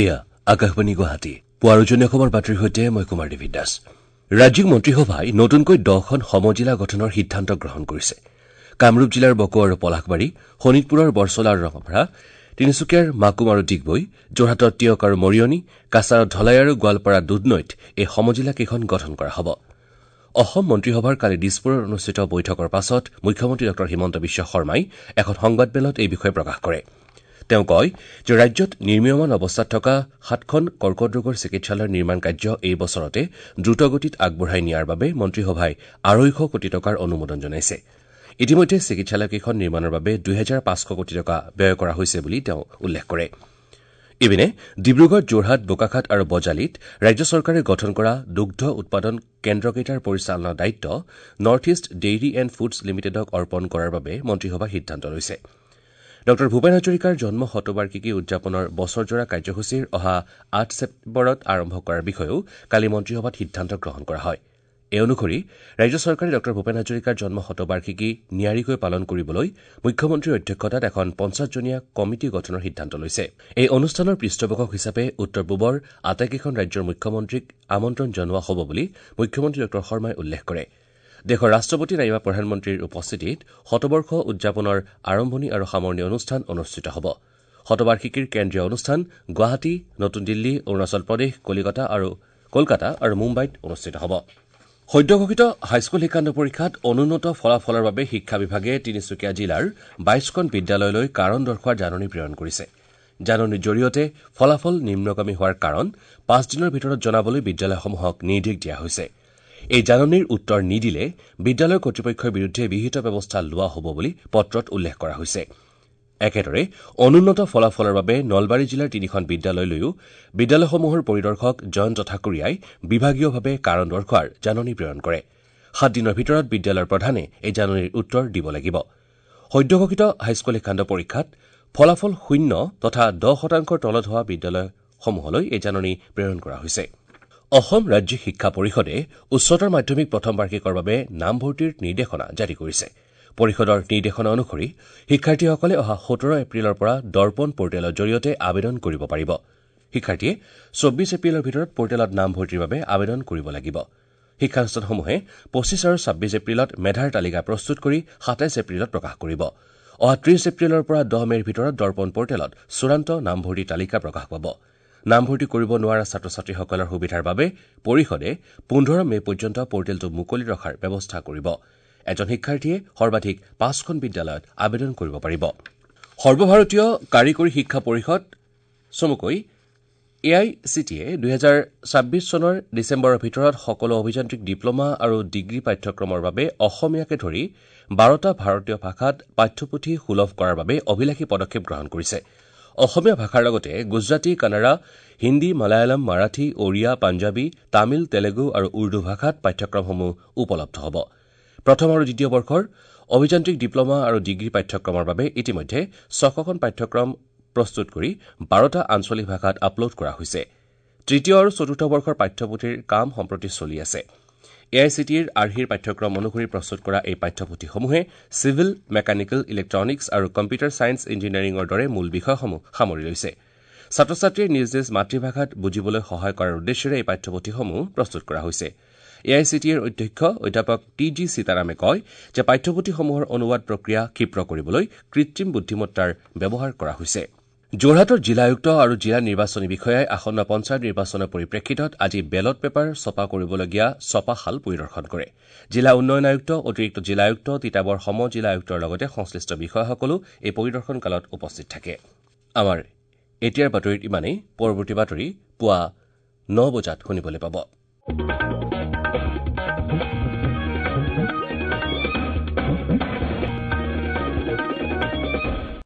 এয়া আকাশবাণী গুৱাহাটী। পুৱাৰ উজনি অসমৰ বাতৰিৰ সৈতে মই কুমাৰ দেৱী দাস। ৰাজ্যিক মন্ত্ৰীসভাই নতুনকৈ 10খন সমজিলা গঠনৰ সিদ্ধান্ত গ্ৰহণ কৰিছে। কামৰূপ জিলাৰ বকো আৰু পলাশবাৰী, শোণিতপুৰৰ বৰচলা আৰু ৰঙাপাৰা, তিনিচুকীয়াৰ মাকুম আৰু ডিগবৈ, যোৰহাটৰ টিয়ক আৰু মৰিয়নি, কাছাৰৰ ধলাই আৰু গোৱালপাৰা দুধনৈত এই সমজিলাকেইখন গঠন কৰা হ'ব। অসম মন্ত্ৰীসভাৰ কালি দিছপুৰত অনুষ্ঠিত বৈঠকৰ পাছত মুখ্যমন্ত্ৰী ডঃ হিমন্ত বিশ্ব শৰ্মাই এখন সংবাদমেলত এই বিষয়ে প্ৰকাশ কৰে। তেওঁ কয় যে ৰাজ্যত নিৰ্মীয়মান অৱস্থাত থকা 7খন কৰ্কট ৰোগৰ চিকিৎসালয়ৰ নিৰ্মাণ কাৰ্য এই বছৰতে দ্ৰুতগতিত আগবঢ়াই নিয়াৰ বাবে মন্ত্ৰীসভাই 250 কোটি টকাৰ অনুমোদন জনাইছে। ইতিমধ্যে চিকিৎসালয়কেইখন নিৰ্মাণৰ বাবে 2500 কোটি টকা ব্যয় কৰা হৈছে বুলি তেওঁ উল্লেখ কৰে। ইপিনে ডিব্ৰুগড়, যোৰহাট, বোকাখাত আৰু বজালীত ৰাজ্য চৰকাৰে গঠন কৰা দুগ্ধ উৎপাদন কেন্দ্ৰকেইটাৰ পৰিচালনাৰ দায়িত্ব North East Dairy and Foods লিমিটেডক অৰ্পণ কৰাৰ বাবে মন্ত্ৰীসভাই সিদ্ধান্ত লৈছে। ডঃ ভূপেন হাজৰিকাৰ জন্ম শতবাৰ্ষিকী উদযাপনৰ বছৰজোৰা কাৰ্যসূচীৰ অহা 8 ছেপ্টেম্বৰত আৰম্ভ কৰাৰ বিষয়েও কালি মন্ত্ৰীসভাত সিদ্ধান্ত গ্ৰহণ কৰা হয়। এই অনুসৰি ৰাজ্য চৰকাৰে ডঃ ভূপেন হাজৰিকাৰ জন্ম শতবাৰ্ষিকী নিয়াৰিকৈ পালন কৰিবলৈ মুখ্যমন্ত্ৰীৰ অধ্যক্ষতাত এখন 50জনীয়া কমিটি গঠনৰ সিদ্ধান্ত লৈছে। এই অনুষ্ঠানৰ পৃষ্ঠপোষক হিচাপে উত্তৰ পূবৰ আটাইকেইখন ৰাজ্যৰ মুখ্যমন্ত্ৰীক আমন্ত্ৰণ জনোৱা হ'ব বুলি মুখ্যমন্ত্ৰী ডঃ শৰ্মাই উল্লেখ কৰে। দেশৰ ৰাষ্ট্ৰপতি নাইবা প্ৰধানমন্ত্ৰীৰ উপস্থিতিত শতবৰ্ষ উদযাপনৰ আৰম্ভণি আৰু সামৰণি অনুষ্ঠান অনুষ্ঠিত হ'ব। শতবাৰ্ষিকীৰ কেন্দ্ৰীয় অনুষ্ঠান গুৱাহাটী, নতুন দিল্লী, অৰুণাচল প্ৰদেশ, কলকাতা আৰু মুম্বাইত অনুষ্ঠিত হ'ব। সদ্যঘোষিত হাইস্কুল শিক্ষান্ত পৰীক্ষাত অনুন্নত ফলাফলৰ বাবে শিক্ষা বিভাগে তিনিচুকীয়া জিলাৰ 22খন বিদ্যালয়লৈ কাৰণ দৰ্শোৱাৰ জাননী প্ৰেৰণ কৰিছে। জাননীৰ জৰিয়তে ফলাফল নিম্নগামী হোৱাৰ কাৰণ 5 দিনৰ ভিতৰত জনাবলৈ বিদ্যালয়সমূহক নিৰ্দেশ দিয়া হৈছে। এই জাননীৰ উত্তৰ নিদিলে বিদ্যালয় কৰ্তৃপক্ষৰ বিৰুদ্ধে বিহিত ব্যৱস্থা লোৱা হ'ব বুলি পত্ৰত উল্লেখ কৰা হৈছে। একেদৰে অনুন্নত ফলাফলৰ বাবে নলবাৰী জিলাৰ 3খন বিদ্যালয়লৈও বিদ্যালয়সমূহৰ পৰিদৰ্শক জয়ন্ত ঠাকুৰীয়াই বিভাগীয়ভাৱে কাৰণ দৰ্শোৱাৰ জাননী প্ৰেৰণ কৰে। 7 দিনৰ ভিতৰত বিদ্যালয়ৰ প্ৰধানে এই জাননীৰ উত্তৰ দিব লাগিব। সদ্যঘোষিত হাইস্কুল শিক্ষান্ত পৰীক্ষাত ফলাফল 0 তথা 10% তলত হোৱা বিদ্যালয়সমূহলৈ এই জাননী প্ৰেৰণ কৰা হৈছে। অসম ৰাজ্যিক শিক্ষা পৰিষদে উচ্চতৰ মাধ্যমিক প্ৰথম বাৰ্ষিকৰ বাবে নামভৰ্তিৰ নিৰ্দেশনা জাৰি কৰিছে। পৰিষদৰ নিৰ্দেশনা অনুসৰি শিক্ষাৰ্থীসকলে অহা 17 এপ্ৰিলৰ পৰা দৰ্পণ পৰ্টেলৰ জৰিয়তে আবেদন কৰিব পাৰিব। শিক্ষাৰ্থীয়ে 24 এপ্ৰিলৰ ভিতৰত পৰ্টেলত নামভৰ্তিৰ বাবে আবেদন কৰিব লাগিব। শিক্ষানুষ্ঠানসমূহে 25 আৰু 26 এপ্ৰিলত মেধাৰ তালিকা প্ৰস্তুত কৰি 27 এপ্ৰিলত প্ৰকাশ কৰিব। অহা 30 এপ্ৰিলৰ পৰা 10 মে'ৰ ভিতৰত দৰ্পণ পৰ্টেলত চূড়ান্ত নামভৰ্তিৰ তালিকা প্ৰকাশ পাব। নামভৰ্তি কৰিব নোৱাৰা ছাত্ৰ ছাত্ৰীসকলৰ সুবিধাৰ বাবে পৰিষদে 15 মে' পৰ্যন্ত পৰ্টেলটো মুকলি ৰখাৰ ব্যৱস্থা কৰিব। এজন শিক্ষাৰ্থীয়ে সৰ্বাধিক 5খন বিদ্যালয়ত আবেদন কৰিব পাৰিব। সৰ্বভাৰতীয় কাৰিকৰী শিক্ষা পৰিষদ চমুকৈ AICTE 2026 চনৰ ডিচেম্বৰৰ ভিতৰত সকলো অভিযান্ত্ৰিক ডিপ্লমা আৰু ডিগ্ৰী পাঠ্যক্ৰমৰ বাবে অসমীয়াকে ধৰি 12টা ভাৰতীয় ভাষাত পাঠ্যপুথি সুলভ কৰাৰ বাবে অভিলাষী পদক্ষেপ গ্ৰহণ কৰিছে। অসমীয়া ভাষাৰ লগতে গুজৰাটী, কানাড়া, হিন্দী, মালায়ালম, মাৰাঠী, ওড়িয়া, পাঞ্জাৱী, তামিল, তেলেগু আৰু উৰ্দু ভাষাত পাঠ্যক্ৰমসমূহ উপলব্ধ হ'ব। প্ৰথম আৰু দ্বিতীয় বৰ্ষৰ অভিযান্ত্ৰিক ডিপ্লমা আৰু ডিগ্ৰী পাঠ্যক্ৰমৰ বাবে ইতিমধ্যে 600খন পাঠ্যক্ৰম প্ৰস্তুত কৰি 12টা আঞ্চলিক ভাষাত আপলোড কৰা হৈছে। তৃতীয় আৰু চতুৰ্থ বৰ্ষৰ পাঠ্যপুথিৰ কাম সম্প্ৰতি চলি আছে। AICTEৰ আৰ্হিৰ পাঠ্যক্ৰম অনুসৰি প্ৰস্তুত কৰা এই পাঠ্যপুথিসমূহে চিভিল, মেকানিকেল, ইলেক্ট্ৰনিক্স আৰু কম্পিউটাৰ ছায়েন্স ইঞ্জিনিয়াৰিঙৰ দৰে মূল বিষয়সমূহ সামৰি লৈছে। ছাত্ৰ ছাত্ৰীয়ে নিজ নিজ মাতৃভাষাত বুজিবলৈ সহায় কৰাৰ উদ্দেশ্যেৰে এই পাঠ্যপুথিসমূহ প্ৰস্তুত কৰা হৈছে। AICTEৰ অধ্যক্ষ অধ্যাপক টি জি সীতাৰামে কয় যে পাঠ্যপুথিসমূহৰ অনুবাদ প্ৰক্ৰিয়া ক্ষীপ্ৰ কৰিবলৈ কৃত্ৰিম বুদ্ধিমত্তাৰ ব্যৱহাৰ কৰা হৈছে। যোৰহাটৰ জিলা আয়ুক্ত আৰু জিলা নিৰ্বাচনী বিষয়াই আসন্ন পঞ্চায়ত নিৰ্বাচনৰ পৰিপ্ৰেক্ষিতত আজি বেলট পেপাৰ ছপা কৰিবলগীয়া ছপাশাল পৰিদৰ্শন কৰে। জিলা উন্নয়ন আয়ুক্ত, অতিৰিক্ত জিলা আয়ুক্ত, তিতাবৰ সম জিলা আয়ুক্তৰ লগতে সংশ্লিষ্ট বিষয়াসকলো এই পৰিদৰ্শন কালত উপস্থিত থাকে। আমাৰ এতিয়াৰ বাতৰিত ইমানেই। পৰৱৰ্তী বাতৰি পুৱা 9 বজাত শুনিবলৈ পাব।